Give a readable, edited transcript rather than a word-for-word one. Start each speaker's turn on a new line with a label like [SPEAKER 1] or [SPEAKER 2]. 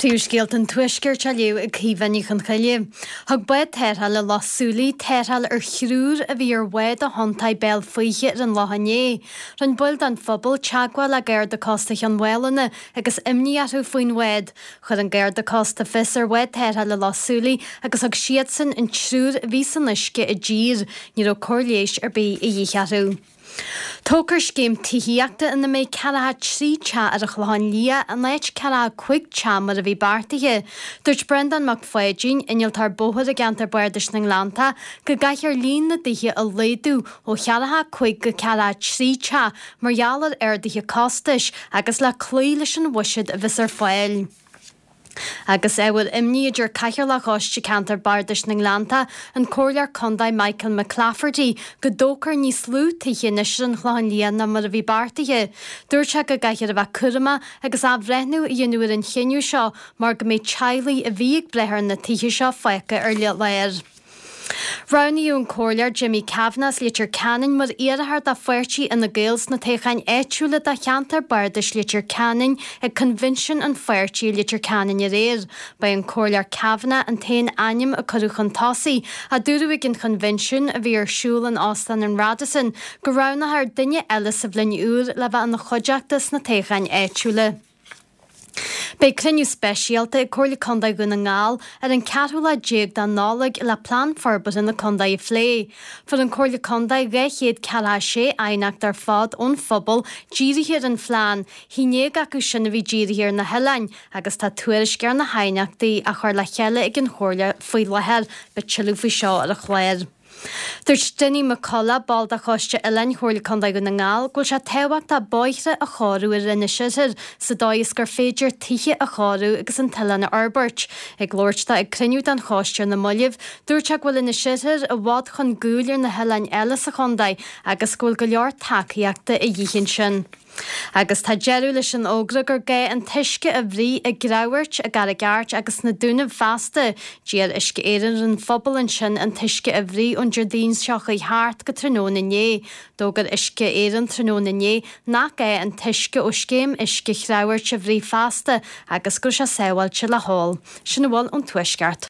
[SPEAKER 1] Príomhscéalta an Tuaiscirt á léamh ag Caoimhe Ní Chonchoille. Thug bád tarrthála Loch Súilí tarrtháil ar thriúr a bhí ar bhád ó chontae Béal Faoithe ar an Loch inné. Rinne baill den phobal teagmháil le Garda Cósta Chionn Mhálanna agus imní orthu faoin bhád. Chuir an Garda Cósta fios ar bhád tarrthála Loch Súilí agus thug siadsan an triúr a bhí san uisce i dtír. Ní raibh cóir leighis ar bith a dhíth orthu. Tógfar scéim tithíochta ina mbeidh 43 teach ar an Chlochán Liath in áit 45 teach mar a bhí beartaithe. Dúirt Breandán Mac Pháidín, innealtóir bóthair i gceantar Bardais na nGleanntach, go gcaithfear líon na dtithe a laghdú ó 45 go 43 teach mar gheall ar arduithe costais agus le cloí leis an bhuiséad a bheas ar fáil. Agus ábhar imní a deir Cathaoirleach Choiste Ceantair Bardais na nGleanntach, an Comhairleoir Contae Michael McClafferty, go dtógfar níos lú tithe anois ar an Chlochán Liath ná mar a bhí beartaithe. Dúirt sé go gcaithfear a bheith cúramach agus athbhreithniú a dhéanamh ar an chinneadh seo mar go mbeidh teaghlaigh a bhí ag brath ar na tithe seo fágtha ar lár. Roghnaíodh an Comhairleoir Jimmy Kavanagh as Leitir Ceanainn mar iarrthóir do pháirtí Fhine Gael sna toghcháin áitiúla do cheantar bardais Leitir Ceanainn ag coinbhinsiún an pháirtí i Leitir Ceanainn aréir. Ba é an Comhairleoir Kavanagh an t-aon ainm a cuireadh chun tosaigh, ach dúradh ag an choinbhinsiún, a bhí ar siúl in Óstán an Radisson, go roghnófar duine eile sa bhliain úr le bheith ina chuideachta sna toghcháin áitiúla. Beidh cruinniú speisialta ag Comhairle Contae Dhún na nGall ar an ceathrú lá déag de Nollaig le Plean Forbartha na Contae a phlé. Fuair an Comhairle Contae 246 aighneacht ar fad ón phobal dírithe ar an phlean, haon déag acu sin a bhí dírithe ar na hoileáin, agus tá tuairisc ar na haighneachtaí á chur le chéile ag an Chomhairle faoi láthair. Beidh tuilleadh faoi seo ar an chlár. Dúirt Dinny McCullough, ball de Choiste Oileáin Chomhairle Contae Dhún na nGall, go bhfuil sé tábhachtach bóithre a chóiriú ar Inis Oirthir sa dóigh is gur féidir tithe a chóiriú agus an t-oileán a fhorbairt. Ag labhairt dó ag cruinniú den choiste ar na mallaibh, dúirt sé go bhfuil Inis Oirthir i bhfad chun gcúil ar na hoileáin eile sa chontae agus go bhfuil go leor tacaíochta a dhíth ansin. Agus tá deireadh leis an fhógra gur gá an t-uisce a bhruith i gCreamhairt, i gCarraig Airt agus sna Dúnaibh feasta. D'iarr Uisce Éireann ar an phobal ansin an t-uisce a bhruith ón Déardaoin seo chuaigh thart go tráthnóna inné. D'fhógair Uisce Éireann tráthnóna inné nach gá an t-uisce ó scéim uisce Chreamhairt a bhruith feasta agus go raibh sé sábháilte le hól. Sin a bhfuil ón Tuaisceart.